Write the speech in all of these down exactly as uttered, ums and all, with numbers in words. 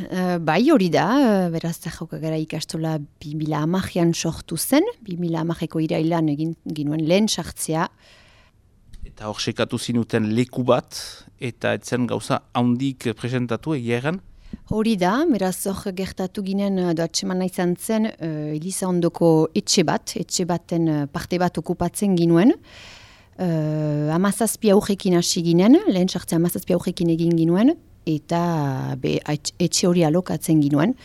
Uh, bai hori da, uh, beraz Jokagara ikastola bi mila hamarean sortu zen, bi mila hamareko irailan egin ginuen lehen sartzea. Eta hor sekatu zinuten leku bat, eta etzen gauza handik presentatu egiaren? Hori da, beraz hor gertatu ginen doatxemana izan zen uh, Eliza ondoko etxe bat, etxe baten uh, parte bat okupatzen ginuen. Uh, amazazpi aurrekin hasi ginen, lehen sartzea amazazpi aurrekin egin ginuen, eta be, etxe hori alokatzen ginuen.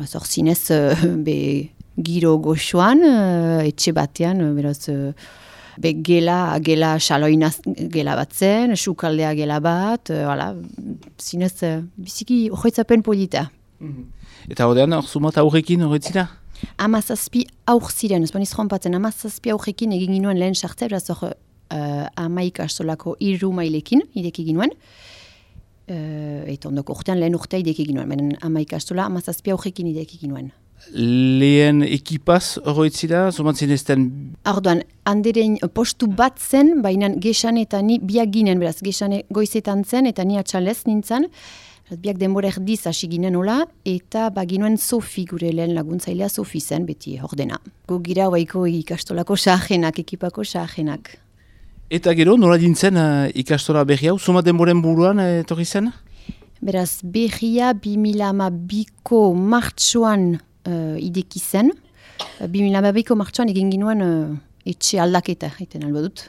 Zor zinez, uh, be, giro goxoan, uh, etxe batean, uh, beraz, uh, be, gela, gela xaloinaz gela bat zen, sukaldea gela bat, uh, hala, zinez, uh, biziki horretzapen polita. Mm-hmm. Eta horrean, hor sumat aurrekin horretzira? Amazazpi aur ziren, ez baniz jompatzen, amazazpi aurrekin egin ginuen lehen sartzea, beraz hor, Uh, amaik astolako irru mailekin ideki ginuen. Uh, eta ondoko urtean lehen urtea ideki ginuen. Benen amaik astola amazazpi aurrekin ideki ginuen. Lehen ekipaz horretzira, zomatzen ezten? Arduan, handeren postu bat zen, baina gesan eta ni biak ginen, beraz, gesane goizetan zen, eta ni atxalez nintzen. Biak denbora erdiz hasi ginen hola, eta baginuen Sofi, gure lehen laguntzailea Sofi zen, beti ordena. Gu gira waiko ikastolako sahenak, ekipako sahenak. Eta gero, nola dintzen uh, ikastola berri hau, zuma denboren buruan uh, etorri zen? Beraz, berria bi mila hamabiko martxoan uh, ideki zen. bi mila hamabiko martxoan egin ginuen uh, etxe aldaketa, egiten albo dut.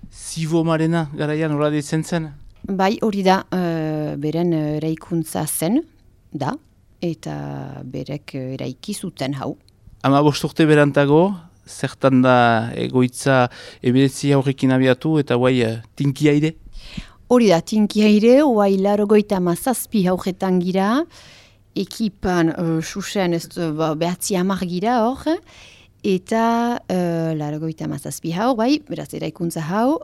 Zibo Marena garaian nola ditzen zen? Bai, hori da, uh, beren uh, eraikuntza zen, da, eta berek uh, eraiki zuten hau. Ama bosturte berantago, zertan da egoitza eberetzi aurrekin abiatu eta guai uh, tinki aire? Hori da, tinki aire, guai larogoita mazazpi aurretan gira, ekipan uh, susen ez uh, behatzi hamar gira hor, eta uh, larogoita mazazpi hau, bai, beraz eraikuntza hau,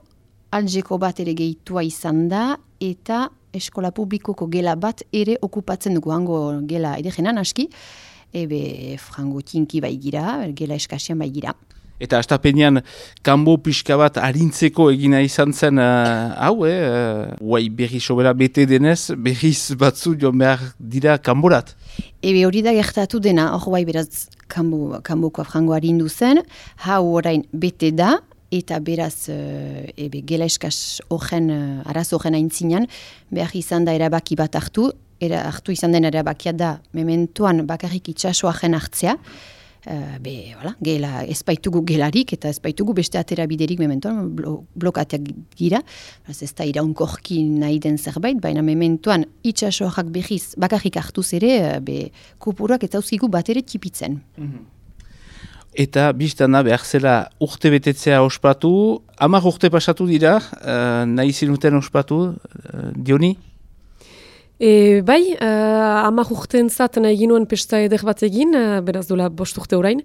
Algeko bat ere gehitua izan da, eta eskola publikoko gela bat ere okupatzen dugu, hango gela edegenan aski, ebe frango tinki bai gira, gela eskasian bai gira. Eta astapenean kanbo pixka bat harintzeko egina izan zen uh, hau, eh? Uh, Uai berri sobera bete denez, berriz batzu joan behar dira kanborat. Ebe hori da gertatu dena, hor bai beraz kanbo, kanboko frango harindu zen, hau orain bete da, eta beraz uh, ebe gela eskas horren, uh, araz horren aintzinan, behar izan da erabaki bat hartu, Era hartu izan den erabakia da, mementoan bakarrik itxasoaren hartzea, uh, be, voilà, gela, espaitugu gelarik eta espaitugu beste atera biderik mementoan blo, blokateak gira. Ez da iraunkorki nahi den zerbait, baina mementoan itxasoak behiz bakarrik hartuz ere, be, kupuruak eta uzkigu bat ere tipitzen. Mm-hmm. Eta biztan da behar zela urte betetzea ospatu, hamar urte pasatu dira, uh, nahi zinuten ospatu, uh, Dioni? E, bai, uh, amak urte entzat nahi ginuen pesta eder bat egin, uh, beraz dola bost urte orain.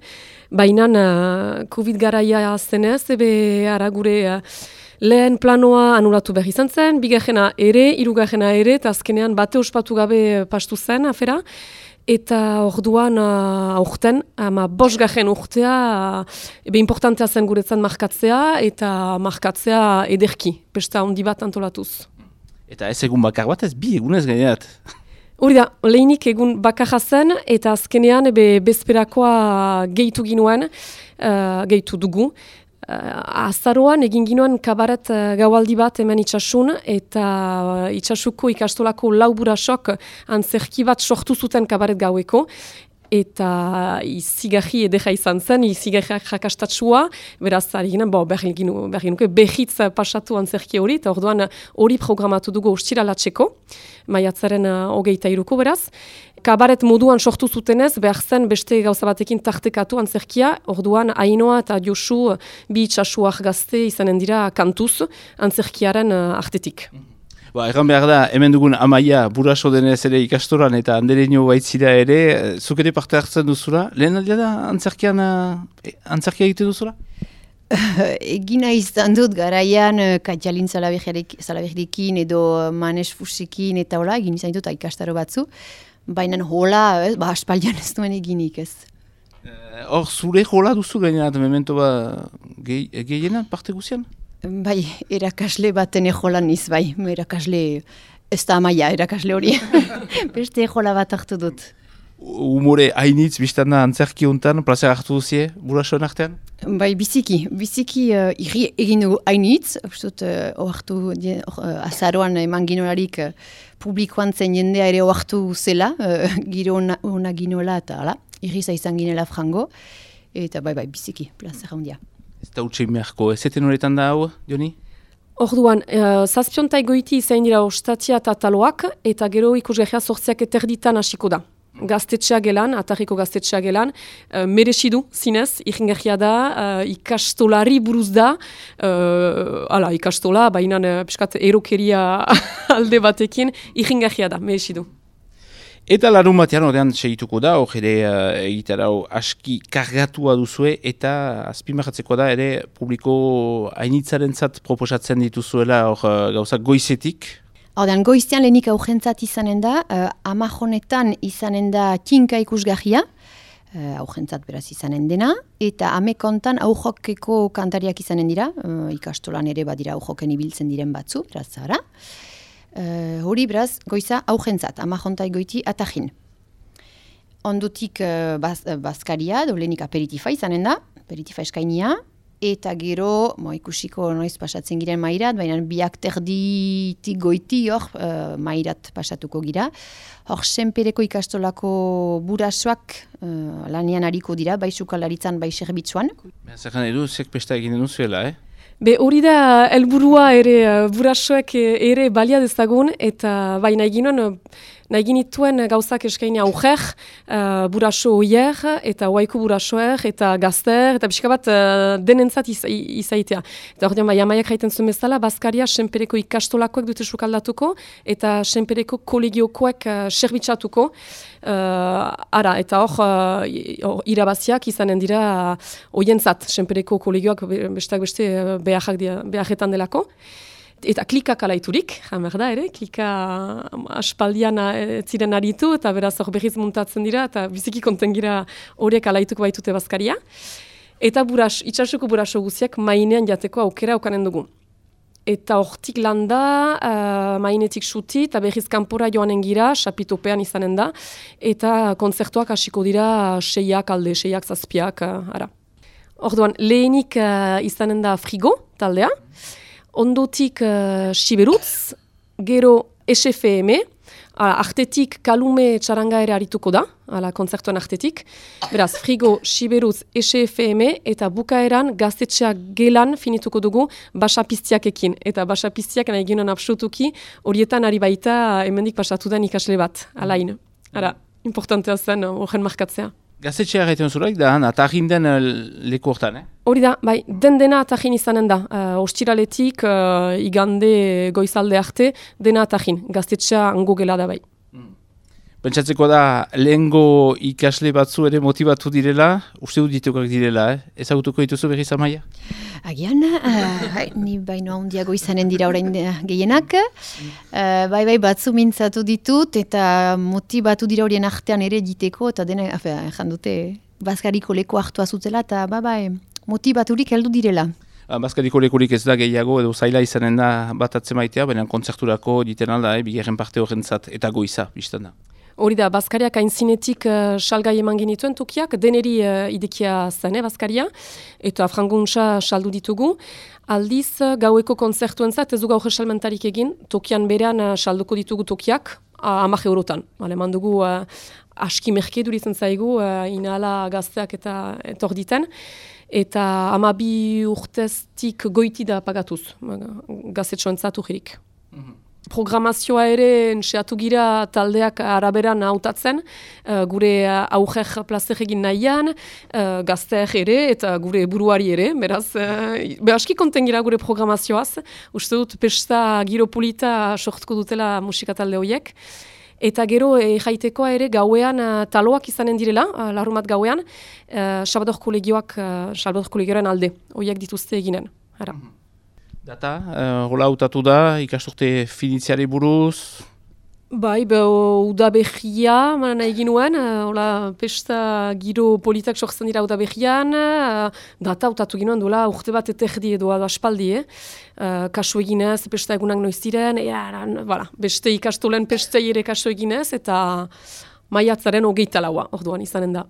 Baina uh, Covid garaia zenez, ebe ara gure uh, lehen planoa anulatu behar izan zen, bigarrena ere, hirugarrena ere, eta azkenean bate ospatu gabe pastu zen afera. Eta orduan uh, aurten, ama bosgarren urtea, uh, ebe importantea zen guretzan markatzea, eta markatzea ederki, pesta handi bat antolatuz. Eta ez egun bakar bat ez bi egunez gaineat. Hori da, lehinik egun bakarra zen, eta azkenean ebe bezperakoa gehitu ginuen, uh, gehitu dugu. Uh, azaroan egin ginuen kabaret uh, gaualdi bat hemen itxasun, eta uh, itxasuko ikastolako lauburasok antzerki bat sortu zuten kabaret gaueko. Eta izigarri edera izan zen, izigarriak rakastatsua, beraz, ari ginen, bo, behar ginuke, behitz pasatu antzerki hori, eta orduan hori programatu dugu ostiralatxeko, maiatzaren hogeita iruko beraz. Kabaret moduan sortu zutenez, behar zen beste gauza batekin tartekatu antzerkia, orduan Ainoa eta Josu bi itxasuak gazte izanen dira kantuz antzerkiaren artetik. Ba, erran behar da, hemen dugun Amaia buraso denez ere ikastoran eta andereño baitzira ere, zuk ere parte hartzen duzula? Lehen aldia da antzerkian, antzerkia egiten duzula? Egina izan dut garaian Katjalin Zalaberdekin edo Manes Fusekin eta hola, egin izan dut ikastaro batzu, baina hola, ba, aspaldian ez duen eginik ez. Hor, zure hola duzu gainerat, memento ba, gehienan parte guzian? Bai, erakasle baten ejolan niz, bai, erakasle Ez da amaia erakasle hori. Beste jola bat hartu dut. Humore hainitz, biztan da antzerki hontan, plazer hartu duzie, burasoen artean? Bai, biziki. Biziki uh, irri egin dugu hainitz. Uztut, uh, oartu, uh, azaroan eman ginolarik uh, publikoan zen jendea ere oartu zela, uh, giro ona, ona ginola eta ala, irriza izan ginela frango. Eta bai, bai, biziki, plazer handia. Ez da utxe meharko, ez eten horretan da hau, Joni? Orduan, uh, zazpiontai goiti izain dira ostatia eta taloak, eta gero ikusgahia sortziak eterditan hasiko da. Gaztetxea gelan, atarriko gaztetxea gelan, uh, meresidu zinez, iringarria da, uh, ikastolari buruz da, uh, ala, ikastola, baina uh, piskat erokeria alde batekin, iringarria da, meresidu. Eta larun batean ordean segituko da, hor ere uh, egitarau aski kargatua duzue, eta azpimarratzeko da ere publiko hainitzarentzat proposatzen dituzuela hor uh, gauzak goizetik. Ordean, goiztean lehenik aurrentzat izanen da, uh, amajonetan izanen da kinka ikusgarria, uh, aurrentzat beraz izanen dena, eta amekontan aujokeko kantariak izanen dira, uh, ikastolan ere badira aujoken ibiltzen diren batzu, beraz zara. Uh, hori beraz, goiza aurrentzat, amajontai goiti atajin. Ondutik uh, baz, uh, bazkaria, dolenik aperitifa izanen da, aperitifa eskainia, eta gero, mo, ikusiko noiz pasatzen giren mairat, baina biak terditik goiti hor uh, mairat pasatuko gira. Hor, senpereko ikastolako burasoak uh, lanian hariko dira, bai sukalaritzan, bai serbitzuan. Zerran edu, zek pesta egin duzuela, eh? Be hori da helburua ere uh, burasoek ere balia dezagun, eta bai nahi ginen, nahi ginituen gauzak eskaini auger, uh, buraso oier, eta oaiko burasoer, eta gazter, eta pixka bat uh, denentzat iz, izaitea. Eta hori bai, amaiak haiten zuen bezala, Baskaria senpereko ikastolakoek dute sukaldatuko, eta senpereko kolegiokoek uh, serbitxatuko. Uh, ara, eta hor uh, irabaziak izanen dira uh, oientzat, senpereko kolegioak besteak beste uh, beharrak dira, beharretan delako. Eta klikak alaiturik, jamer da ere, klika aspaldian ziren aritu, eta beraz hor berriz muntatzen dira, eta biziki konten gira horiek alaituko baitute Baskaria. Eta buras, itxasuko buraso guziak mainean jateko aukera aukanen dugu. Eta hortik landa, uh, mainetik suti, eta berriz kanpora joanen gira, sapitopean izanen da, eta kontzertuak hasiko dira seiak alde, seiak zazpiak, uh, ara. Orduan, lehenik uh, izanen da frigo, taldea, ondotik uh, siberutz, gero S F M, ala, artetik kalume txaranga ere harituko da, ala, kontzertuan artetik. Beraz, frigo, siberutz, S F M, eta bukaeran gaztetxeak gelan finituko dugu basapiztiakekin. Eta basapiztiak nahi ginen absolutuki, horietan ari baita hemendik pasatu den ikasle bat, alain. Ara, importantea zen horren markatzea. Gaztetxea gaiten zuraik da, atarrin den leku hortan, eh? Hori da, bai, den dena atarrin izanen da. Uh, ostiraletik, uh, igande goizalde arte, dena atarrin. Gaztetxea ango gela da bai. Pentsatzeko da, lehengo ikasle batzu ere motibatu direla, uste dut ditukak direla, eh? Ezagutuko dituzu berriz amaia? Agian, uh, ni baino handiago izanen dira orain gehienak. Uh, bai, bai, batzu mintzatu ditut, eta motibatu dira horien artean ere diteko, eta dena, jan dute, Baskariko leku hartua zutela, eta ba, bai, motibaturik heldu direla. Baskariko lekurik ez da gehiago, edo zaila izanen da bat atzemaitea, baina kontzerturako diten alda, eh, bigarren parte horrentzat, eta goiza, biztan da. Hori da, Baskariak aintzinetik uh, salgai eman genituen tokiak, deneri uh, idekia zen, eh, Baskaria, eta franguntza saldu ditugu. Aldiz, uh, gaueko konzertuentzat ez du gaur salmentarik egin, tokian berean uh, salduko ditugu tokiak, uh, amak eurotan. Aleman dugu uh, aski merke duritzen zaigu, uh, inala gazteak eta etor diten, eta amabi urteztik goiti da pagatuz, gazetxoentzat urrik. Mm-hmm. Programazioa ere entxeatu gira taldeak araberan hautatzen, uh, gure uh, auger plazer egin nahian, uh, gazteak ere eta gure buruari ere, beraz, uh, be aski konten gira gure programazioaz, uste dut pesta giropolita sortuko dutela musika talde horiek. Eta gero e, jaitekoa ere gauean uh, taloak izanen direla, uh, larrumat gauean, uh, Salvador kolegioak, uh, Salvador kolegioaren alde, horiek dituzte eginen. Ara. Data, uh, rola hautatu da, ikasturte finitziari buruz? Bai, be, udabehia, manan egin nuen, hola, pesta giro politak sortzen dira udabehian, uh, data utatu ginoen duela urte bat eterdi edo aspaldi, eh? Uh, kasu eginez, pesta egunak noiz diren, ja, voilà, beste ikastolen pesta ere kasu eginez, eta maiatzaren hogeita laua, orduan izanen da.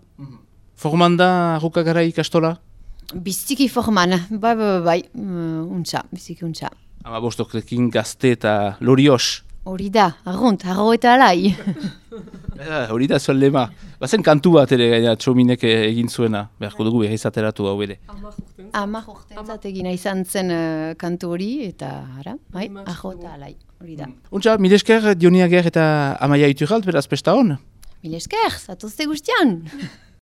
Forman da Arrukagara ikastola? Biziki forman, bai, bai, bai, uh, untxa, biziki untxa. Ama bostokrekin gazte eta lorios. Hori da, arrunt, arro eta alai. Hori da zuen lema. Bazen kantu bat ere gaina txominek egin zuena. Beharko dugu behizateratu hau ere. Amak urtentzat egina izan zen uh, kantu hori, eta ara, bai, arro eta alai, hori da. Untxa, mil esker Dioniager eta Amaia Iturralt, beraz pesta hon? Mil esker, zatozte guztian!